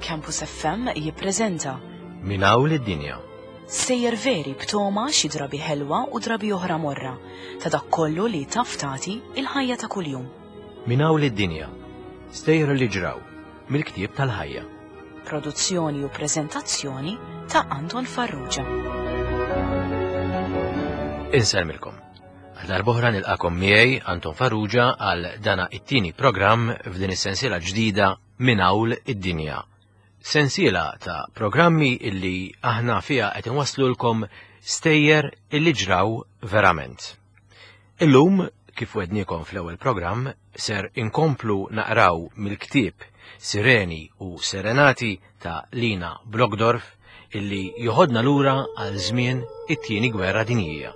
Campus FM jippreżenta Min hawn lid-dinja. Stejjer veri b'toma xi drabi ħelwa u drabi oħra morra ta' dak kollu li taf tagħti il-ħajja ta' kuljum. Min hawn lid-dinja. Stejjer li ġraw mill-ktieb tal-ħajja. Produzzjoni u preżentazzjoni ta' Anton Farrugia. Insellmilkom. Għal darb'oħra nilqakom miegħi Anton Farrugia għal dana it-tieni programm f'din is-sensiela ġdida Minn Hawn id-Dinja. Sensiela ta' programmi illi aħna fiha qed inwasslulkom stejjer illi ġraw verament. Illum, kif wednikom fl-ewwel programm, ser inkomplu naqraw mill-ktieb Sireni u Serenati ta' Lina Brockdorff illi joħodna lura għal żmien it-tieni gwerra dinjija.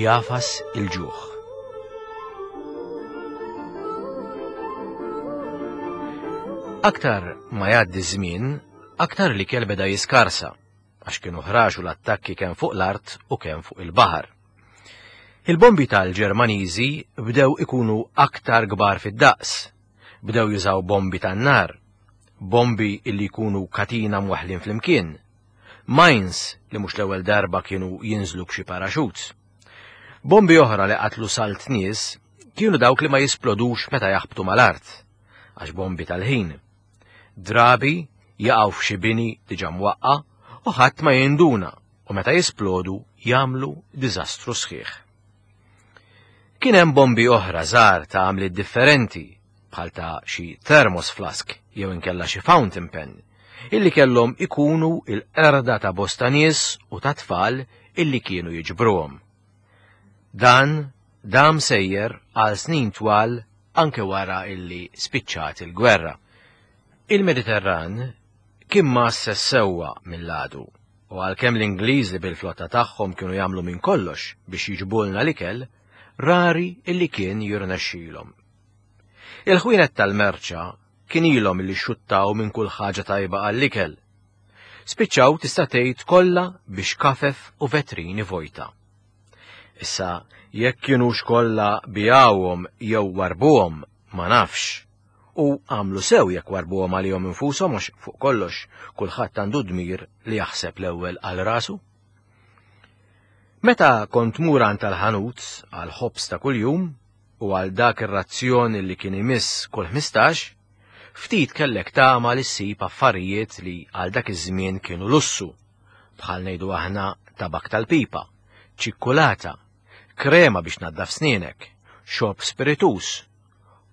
Jafas il-ġuħ. Aktar ma jgħaddi żmien, aktar li kell beda jiskarsa, għax kienu ħraxu l-attakki kemm fuq l-art u kemm fuq il-baħar. Il-bombi tal-Ġermaniżi bdew ikunu aktar kbar fid-daqs, Bdew jużaw bombi tan-nar, bombi illi jkunu katina mwaħħlin flimkien, mines li mhux l-ewwel darba kienu jinżlu b'xi paraxuts. Bombi oħra li qatlu salt nies kienu dawk li ma jisplodux meta jaħbtu mal-art, għax bombi tal-ħin. Drabi jaqgħu f'xi bini diġà mwaqqa' u ħadd ma jinduna u meta jisplodu jagħmlu diżastru sħiħ. Kien hemm bombi oħra żgħar ta' għamliet differenti, bħal ta' xi thermos flask jew inkella xi fountain pen, illi kellhom ikunu il-qerda ta' bosta nies u ta' tfal illi kienu jiġbruhom. Dan dam sejjer għal snin twal anke wara illi spiċċat il-gwerra. Il-Mediterran kien mgħasses sewwa mill-għadu U għalkemm l-Ingliżi bil-flotta tagħhom kienu jagħmlu minn kollox biex jiġbulna l-ikel, rari illi kien jirnexxilhom. Il-ħwienet tal-merċa kien ilhom illi xuttaw minn kull ħaġa tajba għall-ikel. Spiċċaw tista' tgħid kollha biex kafef u vetrini vojta. Issa, jekk kienux kollha bijawhom jew warbuhom, ma nafx. U għamlu sew jekk warbuhom għalihom infushom għax fuq kollox kulħadd għandu dmir li jaħseb l-ewwel għal rasu. Meta kont mur għand tal-ħanut għal ħobż ta' kuljum u għal dak ir-razzjon li kien imiss kull 15, ftit kellek tama li ssib affarijiet li għal dak iż-żmien kienu lussu, bħal ngħidu aħna tabak tal-pipa, ċikkulata, krema biex naddaf snienek, xorb spiritus,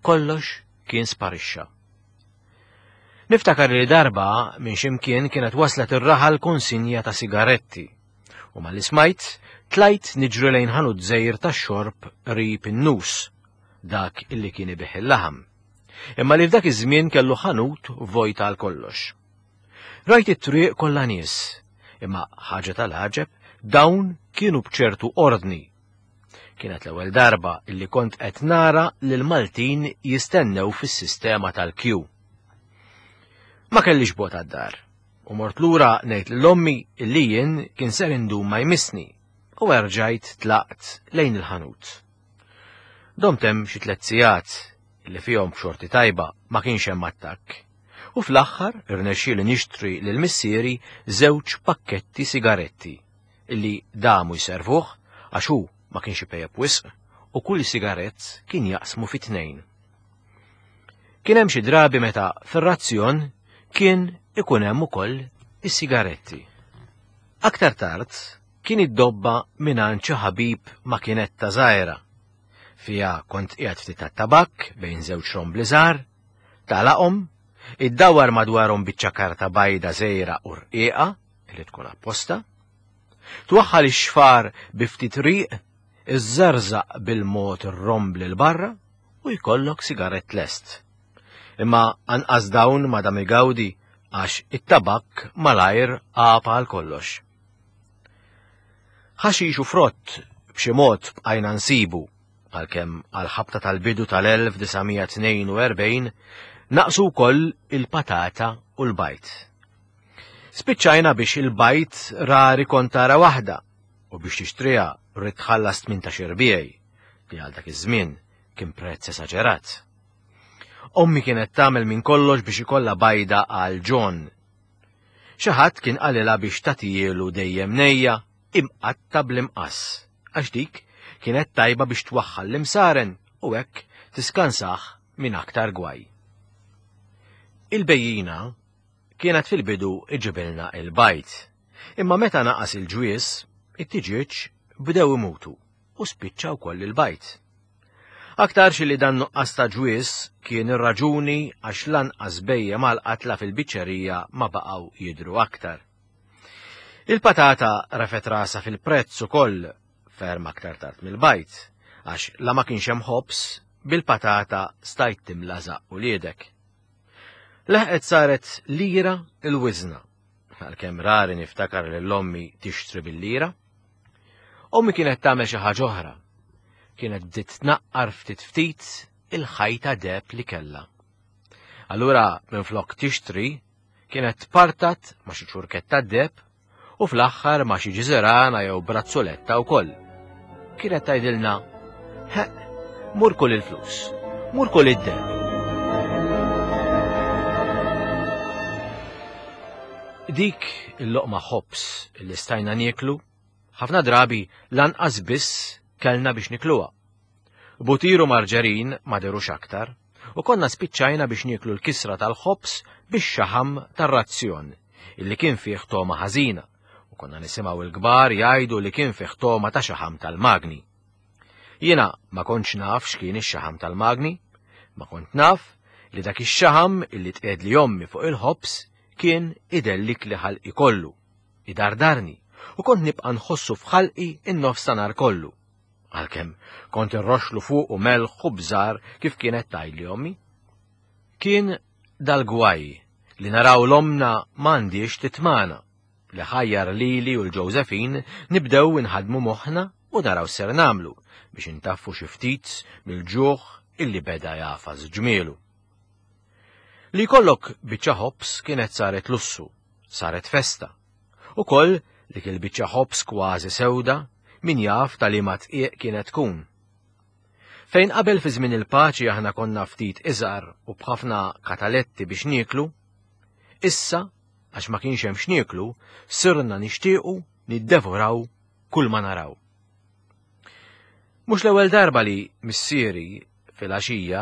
kollox kien sparixxa. Niftakar li darba minn ximkien kienet waslet ir-raħal konsinja ta' sigaretti u malli smajt tlajt niġri lejn ħanut żejr tax-xorb qrib in-nus, dak illi kien ibih il-laħam. Imma li f'dak iż-żmien kellu ħanut vojta għal kollox. Rajt it-triq kollha nies, imma ħaġa tal-għaġeb dawn kienu b'ċertu ordni Kienet l-ewwel darba illi kont qed nara lil Maltin jistennew fis-sistema tal-kju. Ma kellix bot għad-dar u mort lura ngħid lil ommi illi jien kien ser indum ma jmissni u erġajt tlaqt lejn il-ħanut. Domt hemm xi tliet sigħat li fihom b'xorti tajba ma kienx hemm attakk. U fl-aħħar irnexxieli nixtri lil missieri żewġ pakketti sigaretti illi damu jservuh għax hu ma kienx ipejjep wisq u kull sigarett kien jaqsmu fi tnejn. Kien hemm xi drabi meta fir-razzjon kien ikun hemm ukoll is-sigaretti. Aktar tard kien iddobba mingħand xi ħabib makinetta żgħira. Fiha kont qiegħed ftit tat-tabakk bejn żewġ rombli żgħar, tagħlaqhom, iddawwar madwarhom biċċa karta bajda żgħira u rqiqa li tkun apposta, twaħħal ix-xfar bi ftit riq, iżżarżaq bil-mod ir-rombli 'l barra u jkollok sigarett lest. Imma anqas dawn ma dam igawdi għax it-tabakk malajr għab għal kollox. Ħaxix u frott b'xi mod bqajna nsibu għalkemm għal ħabta tal-bidu tal-1942 naqsu wkoll il-patata u l-bajd. Spiċċajna biex il-bajd rari kont tara waħda u biex tixtriha rrid tħallas 18 irbiegħi li għal dak iż-żmien kien prezz esaġerat. Ommi kienet tagħmel minn kollox biex ikollha bajda għal John. Xi ħadd kien qalilha biex tagħtijielu dejjem nejja imqatta' bl-imqass, għax dik kienet tajba biex twaħħal l-imsaren u hekk tiskansah minn aktar gwaj. Il-bejjina kienet fil-bidu iġibilna il-bajd, imma meta naqas il-ġwies, it-tiġieġ bdew imutu u spiċċa wkoll il-bajd. Aktarx li dan nuqqas ta' ġwies kien ir-raġuni għax lanqas bhejjem għall-qatla fil-biċċerija ma baqgħu jidhru aktar. Il-patata refgħet rasha fil-prezz ukoll ferm aktar tard mill-bajd, għax la ma kienx hemm ħobż, bil-patata stajt timla żaqq uliedek. Leħqet saret lira l-wiżna, għalkemm rari niftakar lil ommi tixtri bil-lira. Ommi kienet tagħmel xi ħaġa oħra. Kienet bdiet tnaqqar ftit ftit il-ħajta deheb li kellha. Allura minflok tixtri, kienet tpartat ma' xi ċurketta deheb u fl-aħħar ma' xi ġiżirana jew brazzoletta wkoll. Kienet tgħidilna, Ħeqq, mur kull il-flus, mur kull id-deheb. Dik il-loqma ħobż li stajna nieklu, ħafna drabi lanqas biss kellna biex nikluha. Butir u marġerin ma derux aktar, u konna spiċċajna biex nieklu l-kisra tal-ħobż bix-xaħam tar-razzjon, illi kien fih togħma ħażina, u konna nisimgħu l-kbar jgħidu li kien fih togħma ta' xaħam tal-magni. Jiena ma kontx naf x'kien ix-xaħam tal-magni, ma kont naf li dak ix-xaħam illi tqiegħdli ommi fuq il-ħobż kien idellikli ħalqi kollu, idardarni, u kont nibqa' nħossu f'ħalqi n-nofs ta' nhar kollu. Għalkemm kont irroxlu fuqu melħ u bżar kif kienet tgħidli ommi. Kien dal-gwaj li naraw l-omna m'għandhiex titmagħna, li ħajjar lili u l-Josephine nibdew inħaddmu moħħna u naraw x'ser nagħmlu biex intaffu xi ftit mill-ġuħ illi beda jagħfas ġmielu. Li jkollok biċċa ħobż kienet saret lussu, saret festa. Ukoll dik il-biċċa ħobż kważi sewda, min jaf ta' liema tqiegħ kienet tkun. Fejn qabel fi żmien il-paċi aħna konna ftit iżgħar u b'ħafna kataletti biex nieklu, issa għax ma kienx hemm x'nieklu, sirna nixtiequ niddevoraw kull ma naraw. Mhux l-ewwel darba li missieri filgħaxija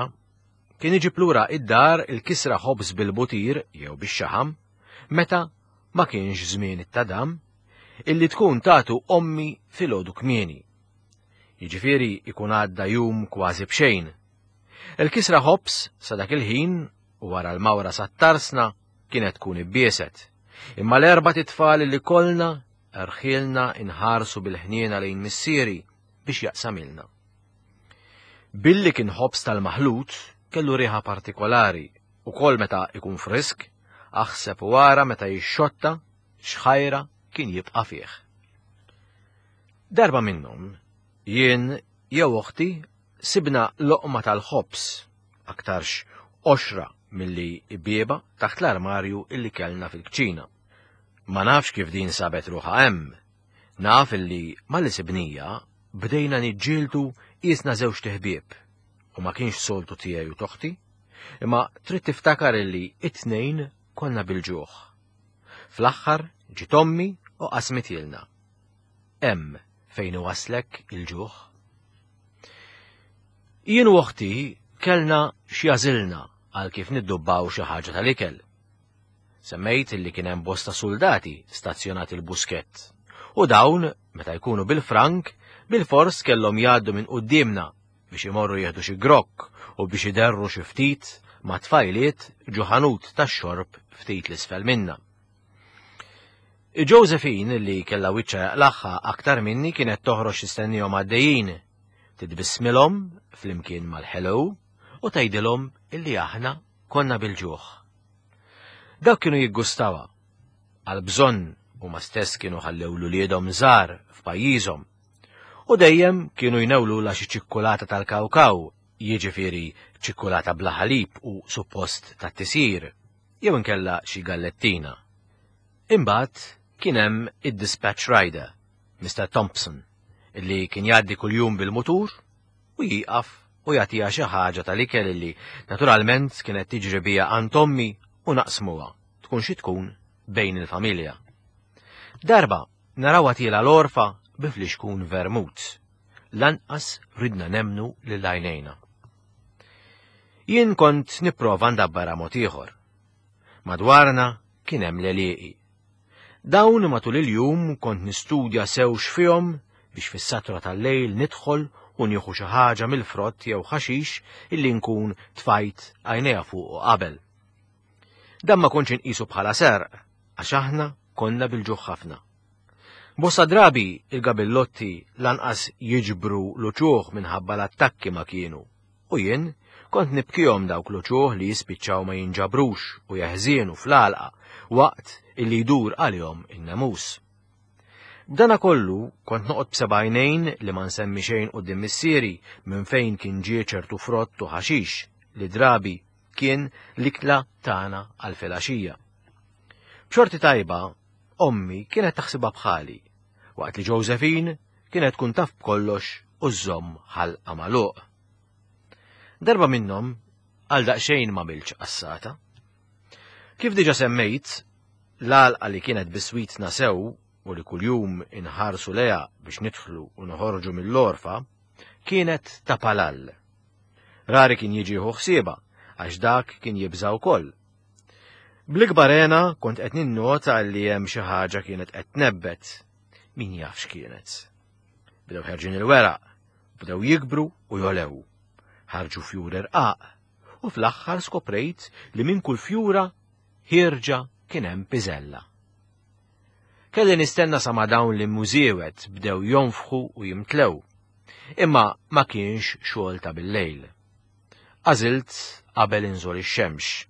kien iġib lura id-dar il-kisra ħobż bil-butir jew bix-xaħam meta ma kienx żmien it-tadam illi tkun tatu ommi filgħodu kmieni. Jiġifieri ikun għadda jum kważi b'xejn. Il-kisra ħobż sa dak il-ħin u wara l-mawra sat-tarsna kienet tkun ibbieset. Imma l-erbat itfal li kollna rħielna inħarsu bil-ħniena lejn missieri biex jaqsamilna. Billi kien ħobż tal-maħlut kellu riħa partikolari u kol meta ikun frisk, aħseb u ara meta jixxotta x'ħajra kien jibqa' fih. Darba minnhom, jien jew oħti sibna loqma tal-ħobż aktarx qoxra milli bieba taħt l-armarju illi kellna fil-kċina. Ma nafx kif din sabet ruħha hemm. Naf illi malli sibnija bdejna niġġieldu qisna żewġt iħbieb u ma kienx soltu tiegħi u t'oħti, imma trid tiftakar illi it-tnejn konna bil-ġuħ. Fl-aħħar ġiet ommi u qasmitilna. Hemm fejn iwasslek il-ġuħ. Jien u oħti kellna x'jażilna għal kif niddubbaw xi ħaġa tal-ikel. Semmejt li kien hemm bosta suldati stazzjonati l-Buskett. U dawn, meta jkunu bil-frank, bilfors kellhom jgħaddu minn quddiemna biex imorru jieħdu xi grokk u biex iderru xi ftit ma' tfajliet ġo ħanut tax-xorb ftit l-isfel minna. Josephine li kellha wiċċha jaqlagħha aktar minni kienet toħroġ tistennihom għaddejjin, titbissmilhom flimkien mal-hello u tgħidilhom illi aħna konna bil-ġuħ. Dawk kienu jiggustawha. Għall-bżonn huma stess kienu ħallew l-uliedhom żgħar f'pajjiżhom. U dejjem kienu jnewlulha xi ċikkulata tal-kawkaw, jiġifieri ċikkulata bla ħalib u suppost tat-tisjir. jew inkella xi gallettina. Imbagħad kien hemm id-dispatch rider, Mister Thompson, illi kien jgħaddi kuljum bil-mutur u jieqaf u jagħtiha xi ħaġa tal-ikel li naturalment kienet tiġri bija għand ommi u naqsmuha, tkun xi tkun bejn il-familja. Darba narawha tiela l-għorfa bi flixkun vermut. Lanqas ridna nemmnu lil għajnejna. Jien kont nipprova ndabbarha mod ieħor. Madwarna kien hemm l-għelieqi. Dawn matul il-jum kont nistudja sew x'fihom biex fis-satra tal-lejl nidħol u nieħu xi ħaġa mill-frott jew ħaxix illi nkun tfajt għajnejja fuqu qabel. Dan ma kontx inqisu bħala serq għax aħna konna bil-ġuħ ħafna. Bosta drabi il-gabillotti lanqas jiġbru l-uċuħ minħabba l-attakki ma kienu u jien kont nibkihom dawk l-uċuħ li jispiċċaw ma jinġabrux u jeħżienu fl-għalqa waqt illi jdur għalihom in-nemus. B'dana kollu kont noqgħod b'seba' għajnejn li ma nsemmi xejn quddiem missieri minn fejn kien ġie ċertu frott u ħaxix li drabi kien l-ikla tagħna għal filgħaxija. B'xorti tajba, ommi kienet taħsibha bħali, waqt li Josephine kienet tkun taf b'kollox u żżomm ħalqa magħluq. Darba minnhom għal daqsxejn ma milx qassata. Kif diġa semmejt, l-għalqa li kienet biswitna sew u li kuljum inħarsu leha biex nidħlu u noħorġu mill-orfa, kienet ta' palall. Rari kien jiġi jieħu ħsiebha għax dak kien jibża' wkoll. Bl-ikbar hena kont qed ninnota li hemm xi ħaġa kienet qed tnebbet. Min jaf x'kienet. Bdew ħerġin il-weraq, bdew jikbru u jolew. Ħarġu fjur irqaq u fl-aħħar skoprejt li minn kull fjura ħierġa kien hemm piżella. Kelli nistenna sa ma dawn l-immużiewet bdew jonfħu u jimtlew. Imma ma kienx xogħol ta' bil-lejl. Għażilt qabel inżol ix-xemx.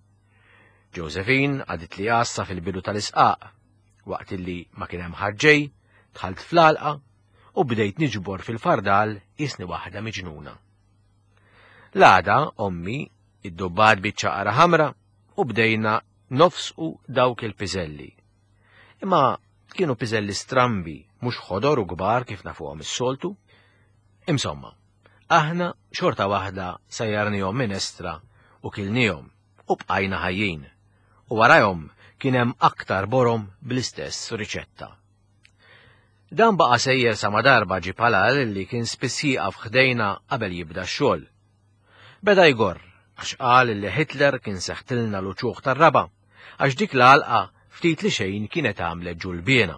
Josephine għadit li għassa fil-bidu tal-isqaq. Waqt illi ma kien hemm ħadd ġej, dħalt fl-għalqa u bdejt niġbor fil-fardal jisni waħda miġnuna. L-għada ommi iddubbat biċċa qara ħamra u bdejna nofsqu dawk il-piżelli. Imma kienu piżelli strambi, mhux ħodor u kbar kif nafuhom is-soltu. Insomma, aħna xorta waħda sajjarnihom minestra u kilnihom u bqajna ħajjin. U warajhom kien hemm aktar borom bl-istess riċetta. Dan baqa' sejjer sa ma darba ġie Palal li kien spiss jieqaf ħdejna qabel jibda x-xogħol. Beda jgorr għax qal li Hitler kien seħtilna l-uċuħ tar-raba' għax dik l-għalqa ftit li xejn kienet għamlet ġulbiena.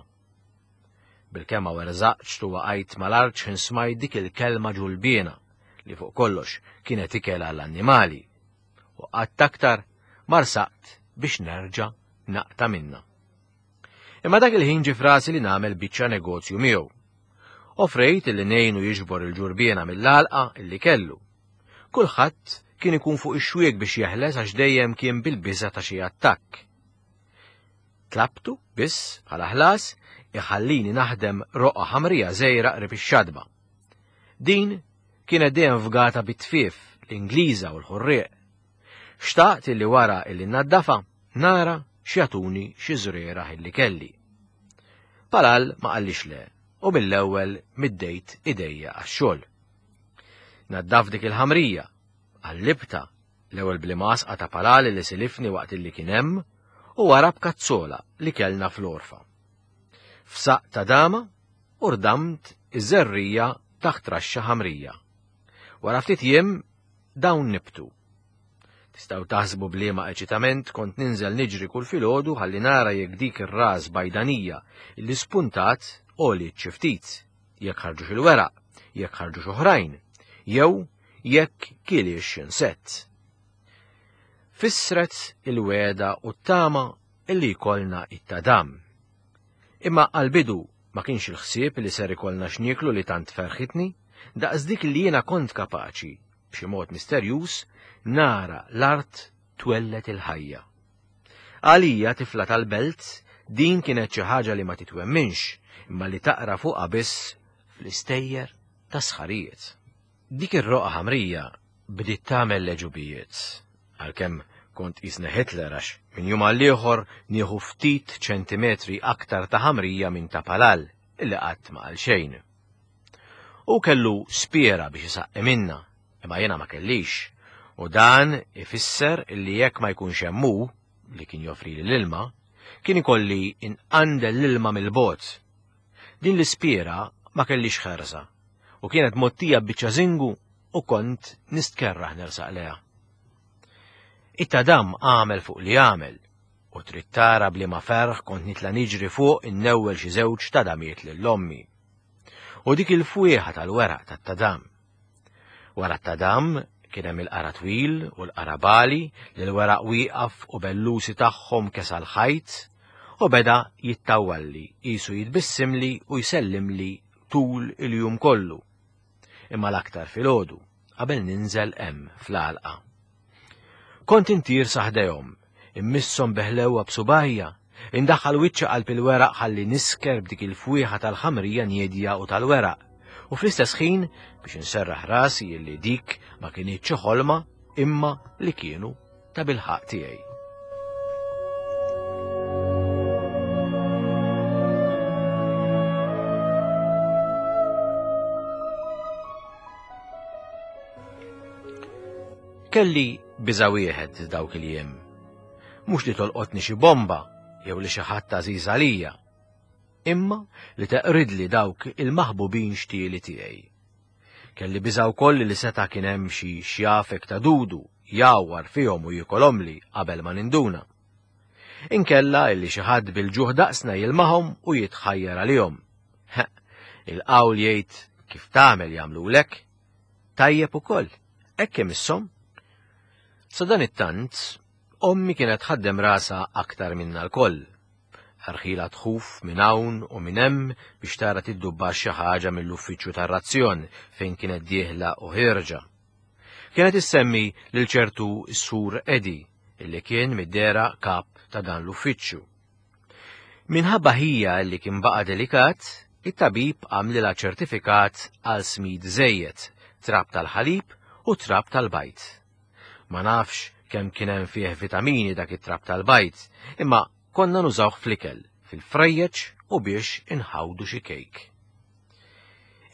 Bil-kemm ma werżaqtx u waqajt mal-art x'ħin smajt dik il-kelma ġulbiena li fuq kollox kienet ikel għall-annimali. U qatt aktar ma rsaqt biex nerġa' naqta' minnha. Imma dak il-ħin ġie f'rasi li nagħmel biċċa negozju miegħu. Offrejt li ngħinu jiġbor il-ġurbiena mill-għalqa illi kellu. Kulħadd kien ikun fuq ix-xwiek biex jeħles għax dejjem kien bil-biża' ta' xi attakk. Tlabtu biss bħala ħlas iħallini naħdem roqgħa ħamrija żgħira qrib ix-xatba. Din kienet dejjem fgata bit-tfief, l-Ingliża u l-ħurrieq. Xtaqt illi wara illi nnaddafa nara x'jagħtuni xi żrieragħ illi kelli. Palal ma qallix le u mill-ewwel middejt idejja għax-xogħol. Naddaf dik il-ħamrija, qallibtha, l-ewwel bl-imgħasqa ta' Palal li silifni waqt illi kien hemm u wara b'kazzola li kellna fl-għorfa. F'saqq ta' dama u rdamt iż-żerrija taħt raxxa ħamrija. Wara ftit jiem dawn nibtu. Tistgħu taħsbu b'liema eċitament kont ninżel niġri kull filgħodu ħalli nara jekk dik ir-ras bajdanija li spuntat għoliet xi ftit, jekk ħarġux il-weraq, jekk ħarġux oħrajn, jew jekk kiliex insett. Fissret il-wegħda u t-tama illi jkollna it-tadam. Imma għall-bidu ma kienx il-ħsieb li ser ikollna x'nieklu li tant ferħitni, daqs dik li jiena kont kapaċi, b'xi mod misterjuż, nara l-art twelled il-ħajja. Għalija tifla tal-belt, din kienet xi ħaġa li ma titwemminx, imma li taqra fuqha biss fl-istejjer ta' sħarijiet. Dik ir-roqgħa ħamrija bdiet tagħmel l-għeġubijiet, għalkemm kont qisni Hitler għax minn jum għall-ieħor nieħu ftit ċentimetri aktar ta' ħamrija minn ta' Palal illi qatt ma qal xejn. Hu kellu spiera biex isaqqi minnha. Imma jiena ma kellix, u dan ifisser li jekk ma jkunx hemm hu, li kien joffrili l-ilma, kien ikolli inqandel l-ilma mill-bogħod. Din l-ispiera ma kellix ħerża u kienet mgħottija b'biċċa żingu u kont nistkerraħ nersaq lejha. It-tadam għamel fuq li għamel u trid tara b'liema ferħ kont nitla' niġri fuq innewwel xi żewġ tadamiet lil ommi. U dik il-fwieħa tal-weraq tat-tadam. Wara t-tadam kien hemm il-qara twil u l-qara bali li l-weraq wieqaf u bellusi tagħhom kesa l-ħajt u beda jittawwalli qisu jitbissimli u jsellimli tul il-jum kollu. Imma l-aktar filgħodu qabel ninżel hemm fl-għalqa. Kont intir sa ħdejhom, immisshom bi ħlewwa b'subgħajja, indaħħal wiċċi qalb il-weraq ħalli nisker b'dik il-fwieħa tal-ħamrija niedja u tal-weraq, u fl-istess ħin biex inserraħ rasi illi dik ma kinitx xi ħolma imma li kienu ta' bilħaqq tiegħi. Kelli biża' wieħed dawk il-jiem. Mhux li tolqotni xi bomba jew li xi ħadd għażiż għalija, imma li teqridli dawk il-maħbubin xtieli tiegħi. Kelli biża' wkoll li seta' kien hemm xi xjafek ta' dudu jgħawwar fihom u jikolhomli qabel ma ninduna. Inkella illi xi ħadd bil-ġuħ daqsna jilmahom u jitħajjar għalihom. Il-qawl jgħid kif tagħmel jagħmlulek. Tajjeb ukoll, hekk imisshom. Sadanittant, ommi kienet tħaddem rasha aktar minna lkoll. Rħilha tħuf minn hawn u minn hemm biex tara tiddubbax xi ħaġa mill-uffiċċju tar-razzjon fejn kienet dieħla u ħierġa. Kienet issemmi lil ċertu Sur Eddie, illi kien mid-dehra kap ta' dan l-uffiċċju. Minħabba ħija li kien baqa' delikat, it-tabib għamlilha ċertifikat għal smid żejjed, trab tal-ħalib u trab tal-bajd. Ma nafx kemm kien hemm fih vitamini dak it-trab tal-bajd, imma konna nużawh fl-ikel, fil-frejjeġ u biex inħawdu xi kejk.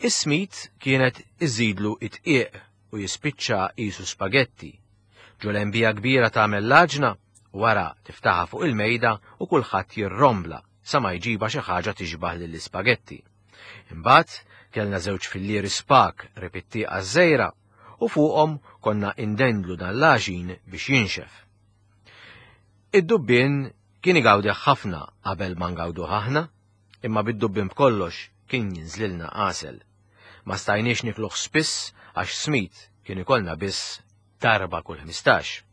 Is-smid kienet iżidlu it-tqiq u jispiċċa qisu spagetti. Ġo lembija kbira tagħmel l-għaġna, wara tiftaħha fuq il-mejda u kulħadd jirrombla sa ma jġibha xi ħaġa tixbah lill-ispagetti. Imbagħad kellna żewġ fillieri spak qrib it-tieqa ż-żgħira u fuqhom konna indendlu dan l-għaġin biex jinxef. Id-dubbien kien igawdih ħafna qabel ma ngawduh aħna, imma bid-dubbien b'kollox kien jinżlilna għasel. Ma stajniex nikluh spiss għax smid kien ikollna biss darba kull 15.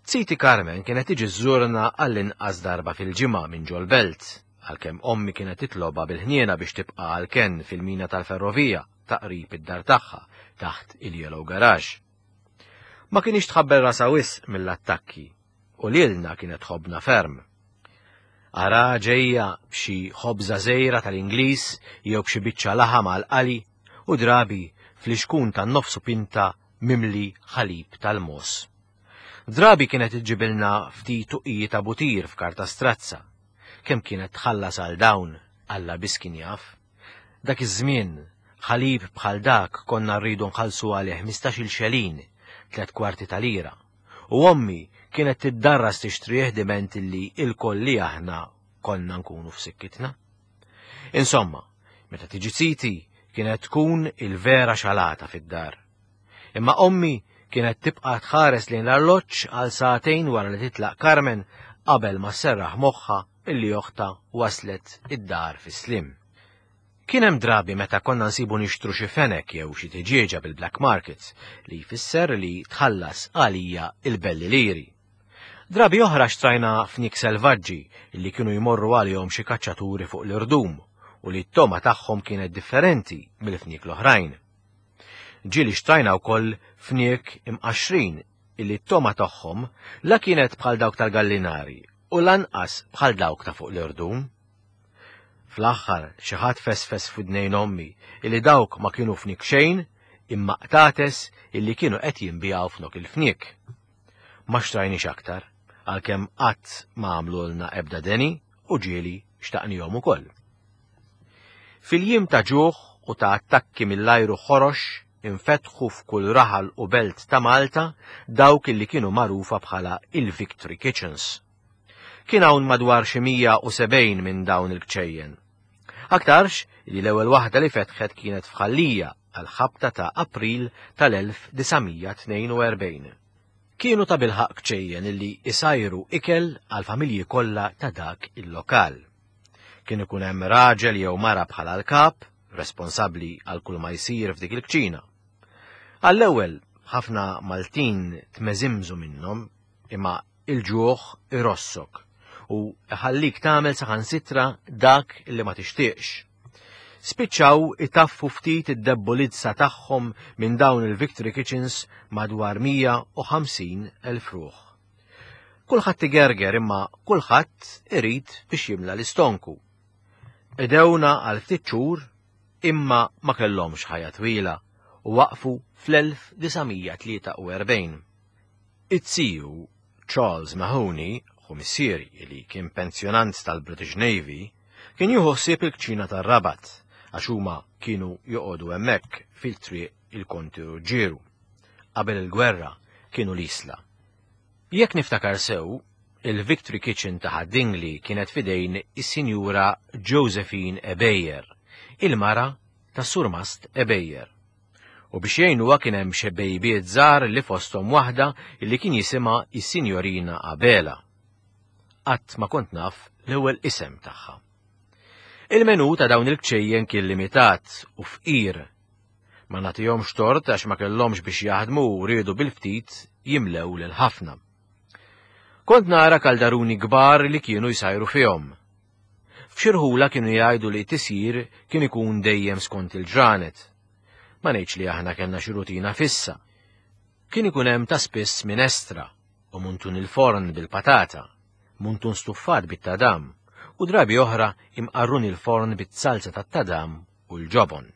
Ziti Carmen kienet tiġi żżurna għall-inqas darba fil-ġimgħa minn ġol-belt, għalkemm ommi kienet titlobha bil-ħniena biex tibqa' għall-kenn fil-mina tal-ferrovija ta' qrib id-dar tagħha taħt il-Yellow Garage. Ma kinitx tħabbel rasha wisq mill-attakki u lilna kienet tħobbna ferm. Ara ġejja b'xi ħobża żgħira tal-Ingliż jew b'xi biċċa laħam għall-qali u drabi flixkun ta' nofsu pinta mimli ħalib tal-mogħoż. Drabi kienet iġġibilna ftit tuqiji ta' butir f'karta strazza. Kemm kienet tħallas għal dawn, Alla biss kien jaf. Dak iż-żmien, ħalib bħal dak konna rridu nħallsu għalih 15-il xelin, 3/4 ta' lira. U ommi kienet tiddarras tixtrih diment li ilkoll li aħna konna nkunu f'sikkitna. Insomma, meta tiġi ziti kienet tkun il-vera xalata fid-dar. Imma ommi kienet tibqa' tħares lejn l-arloġġ għal sagħtejn wara li titlaq Carmen qabel ma sserraħ moħħha illi oħtha waslet id-dar fis-sliem. Kien hemm drabi meta konna nsibu nixtru xi fenek jew xi tiġieġa bil-black market, li jfisser li tħallas għalija il-belli liri. Drabi oħra xtrajna fniek selvaġġi li kienu jmorru għalihom xi kaċċaturi fuq l-irdum u li t-togħma tagħhom kienet differenti mill-fniek l-oħrajn. Ġieli xtrajna wkoll fniek imqaxxrin illi t-togħma tagħhom la kienet bħal dawk tal-gallinari u lanqas bħal dawk ta' fuq l-irdum. Fl-aħħar xi ħadd fesfes f'widnejn ommi illi dawk ma kienu fniek xejn imma qtates illi kienu qed jinbiegħu f'nok il-fniek. Ma xtrajniex aktar, għalkemm qatt ma għamlulna ebda deni u ġieli xtaqnihom ukoll. Fil-jiem ta' ġuħ u ta' attakki mill-ajru ħorox. infetħu f'kull raħal u belt ta' Malta dawk li kienu magħrufa bħala il-Victory Kitchens. Kien hawn madwar xi 170 minn dawn il-kċejjen. Aktarx li l-ewwel waħda li fetħet kienet f'Ħal Lija għall-ħabta ta' April tal-1942. Kienu tabilħaqq kċejjen illi isajru ikel għall-familji kollha ta' dak il-lokal. Kien ikun hemm raġel jew mara bħala l-kap, responsabbli għal kull ma jsir f'dik il-kċina. Għall-ewwel ħafna Maltin tmeżimżu minnhom, imma il-ġuħ irossok u iħallik tagħmel saħansitra dak li ma tixtieqx. Spiċċaw itaffu ftit id-debbolizza tagħhom minn dawn il-Victory Kitchens madwar 150 elf ruħ. Kulħadd igerger imma kulħadd irid biex jimla l-istonku. Qdewna għal ftit xhur imma ma kellhomx ħajja twila u waqfu fl-1943. It-ziju Charles Mahoney, ħu missieri li kien pensjonant tal-British Navy, kien jieħu ħsieb il-kċina tar-Rabat għax huma kienu joqogħdu hemmhekk fil-triq il-Konti Ruġġieru. Qabel il-gwerra kienu l-Isla. Jekk niftakar sew, il-Victory Kitchen ta' Ħad-Dingli kienet f'idejn is-Sinjura Josephine Ebejer, il-mara tas-Surmast Ebejer. U biex jgħinuha kien hemm xi bejbiet żgħar li fosthom waħda li kien jisimha is-Sinjorina Abela. Qatt ma kont naf l-ewwel isem tagħha. Il-menu ta' dawn il-kċejjen kien limitat u fqir. Ma nagħtihomx tort għax ma kellhomx biex jaħdmu u riedu bil-ftit jimlew lil ħafna. Kont nara kaldaruni kbar li kienu jsajru fihom. F'xi rħula kienu jgħidu li t-tisjir kien ikun dejjem skont il-ġranet. Ma ngħidx li aħna kellna xi rutina fissa. Kien ikun hemm ta' spiss minestra u muntun il-forn bil-patata, muntun stuffat bit-tadam u drabi oħra imqarrun il-forn bit-salza tat-tadam u l-ġobon.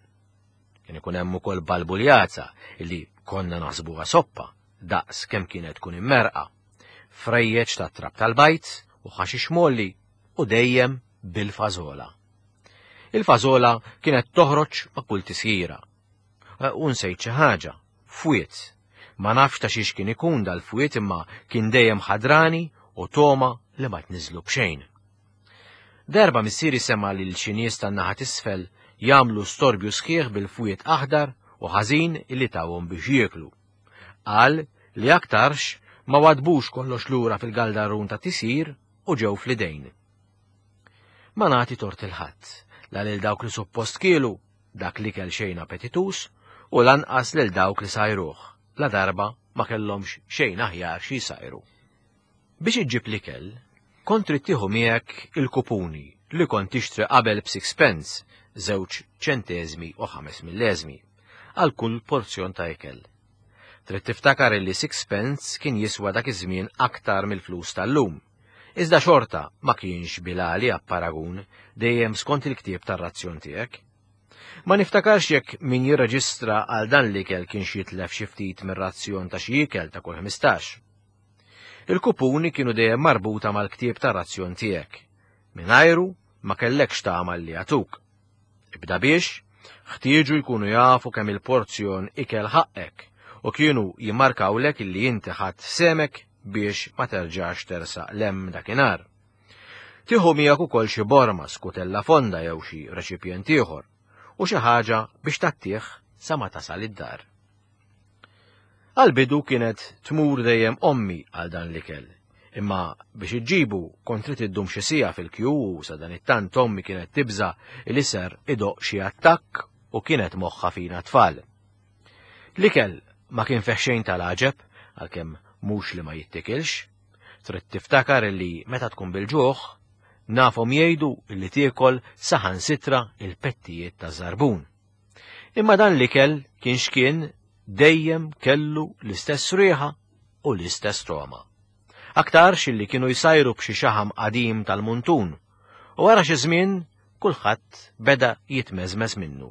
Kien ikun hemm ukoll balbuljata li konna naħsbuha soppa daqs kemm kienet tkun immerqa. Frejjeġ ta' trab tal-bajt u ħaxix molli u dejjem bil-fażola. Il-fażola kienet toħroġ ma' kull tisjira. Eh, u nsejt xi ħaġa, fwiet. Ma nafx ta' xiex kien ikun dal-fwiet imma kien dejjem ħadrani u toma li ma tniżlu b'xejn. Darba missieri sema' lil xi nies tan-naħa t'isfel jagħmlu storbju sħiħ bil-fwied aħdar u ħażin li tawhom biex jieklu. Qal li aktarx ma wadbux kollox lura fil-galdarun ta' tisir u ġew fl-idejn. Ma nagħti tort il-ħadd, la lil dawk li suppost kielu dak l-ikel xejn appetituż u lanqas lil dawk li sajruh, la darba ma kellhomx xejn aħjar xi jsajru. Biex iġġib l-ikel, kont trid tieħu miegħek il-kupuni li kont tixtri qabel b'sixpence, żewġ ċenteżmi u ħames milleżmi, għal kull porzjon ta' ikel. Trid tiftakar illi sixpence kien jiswa dak iż-żmien aktar mill-flus tal-lum. Iżda xorta ma kienx bil-għali apparagun dejjem skont il-ktieb tar-razzjon tiegħek. Ma niftakarx jekk min jirreġistra għal dan l-ikel kienx jitlef xi ftit mir-razzjon ta' xi ikel ta' kull 15. Il-kupuni kienu dejjem marbuta mal-ktieb tar-razzjon tiegħek. Mingħajru ma kellekx tagħmal li jagħtuk. Ibda biex, ħtieġu jkunu jafu kemm il-porzjon ikel ħaqqek u kienu jimmarkawlek illi inti ħadt semek biex ma terġax tersaq lem dakinhar. Tieħu miegħek ukoll xi borma, skutella fonda jew xi reċipjent ieħor u xi ħaġa biex tattih sa ma tasal id-dar. Għall-bidu kienet tmur dejjem ommi għal dan l-ikel. Imma biex iġġibu kont trid iddum xi siegħa fil-kju u sadanittant ommi kienet tibża' li ser idoqq xi attakk u kienet moħħha fina t-tfal. L-ikel ma kien fih xejn tal-għaġeb, għalkemm mhux li ma jittikilx. Trid tiftakar li meta tkun bil-ġuħ, nafhom jgħidu li tiekol saħansitra il-pettijiet taż-żarbun. Imma dan l-ikel kien x'kien dejjem kellu l-istess riħa u l-istess togħma. Aktarx illi kienu jsajru b'xi xaħam qadim tal-muntun u wara xi żmien kulħadd beda jitmeżmeż minnu.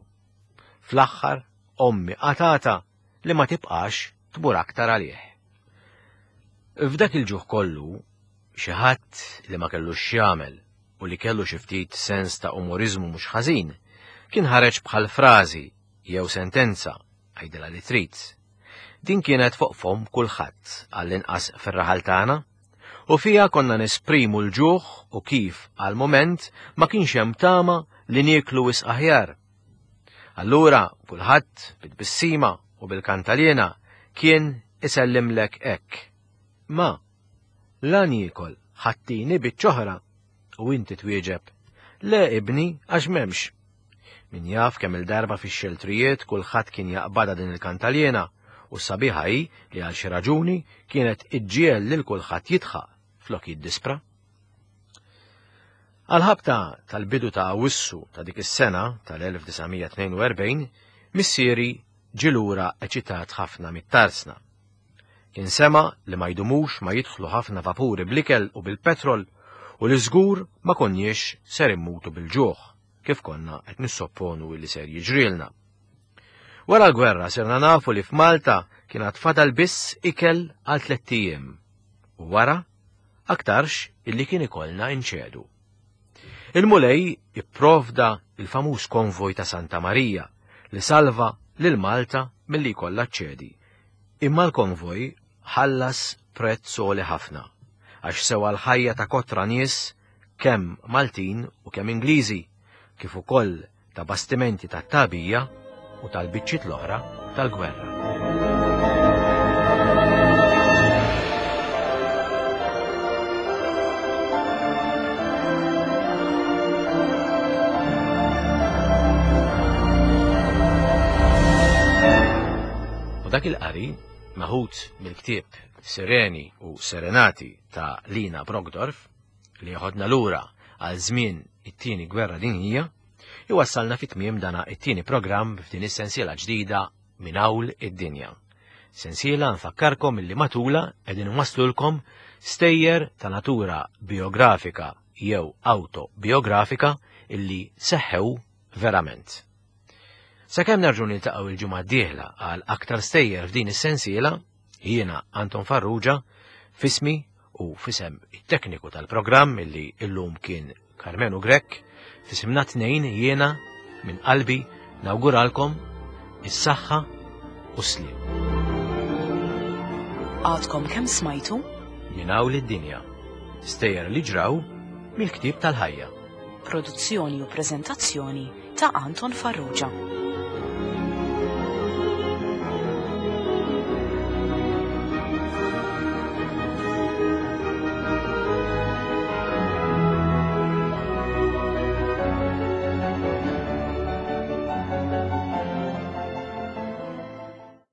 Fl-aħħar ommi qatata li ma tibqax tmur aktar għalih. F'dak il-ġuħ kollu, xi ħadd li ma kellux x'jagħmel u li kellu xi ftit sens ta' umoriżmu mhux ħażin, kien ħareġ bħal frażi jew sentenza. għidilha li trid. Din kienet fuq fomm kulħadd, għall-inqas fir-raħal tagħna, u fiha konna nesprimu l-ġuħ u kif għal mument ma kienx hemm tama li nieklu wisq aħjar. Allura kulħadd bit-tbissima u bil-kantaliena kien isellimlek hekk. Ma, la niekol ħattini biċċ'oħra u inti twieġeb, le ibni għax m'hemmx. Min jaf kemm il-darba fix-xeltrijiet kulħadd kien jaqbadha din il-kantaliena u s-sabiħa hi li għal xi raġuni kienet iġġiegħel lil kulħadd jidħaq flok jiddispra. Għal-ħabta tal-bidu ta' Awwissu ta' dik is-sena tal-1942, missieri ġie lura eċitat ħafna mit-tarsna. Kien sema' li ma jdumux ma jidħlu ħafna vapuri bl-ikel u bil-petrol u li żgur ma konniex ser immutu bil-ġuħ kif konna qed nissopponu li ser jiġrilna. Wara l-gwerra sirna nafu li f'Malta kien għad fadal biss ikel għal tlett ijiem u wara aktarx illi kien ikollna inċedu. Il-Mulej ipprovda il-famuż konvoj ta' Santa Marija li salva lil Malta milli jkollha ċċedi. Imma l-konvoj ħallas prezz għoli ħafna għax sewa l-ħajja ta' kotra nies kemm Maltin u kemm Ingliżi, kif ukoll ta' bastimenti tat-tagħbija u tal-biċċiet l-oħra tal-gwerra. U dak il-qari, meħud mill-ktieb Sireni u Serenati ta' Lina Brockdorff, li jeħodna lura għal żmien it-tieni gwerra dinjija, iwassalna fi tmiem dana it-tieni programm f'din is-sensiela ġdida minn hawl id-dinja. Sensiela nfakkarkom illi matula qegħdin nwasslulkom stejjer ta' natura biografika jew autobiografika illi seħħew verament. Sakemm nerġgħu niltaqgħu il-ġimgħa d-dieħla għal aktar stejjer f'din is-sensiela, Jiena Anton Farrugia, fismi u fisem it-tekniku tal-programm illi illum kien Karmenu Grech, fisimna tnejn jiena minn qalbi nawguralkom is-saħħa u s-sliem. Għadkom kemm smajtu? Minn hawn id-dinja. Stejjer li ġraw mill-ktieb tal-ħajja. Produzzjoni u preżentazzjoni ta' Anton Farrugia.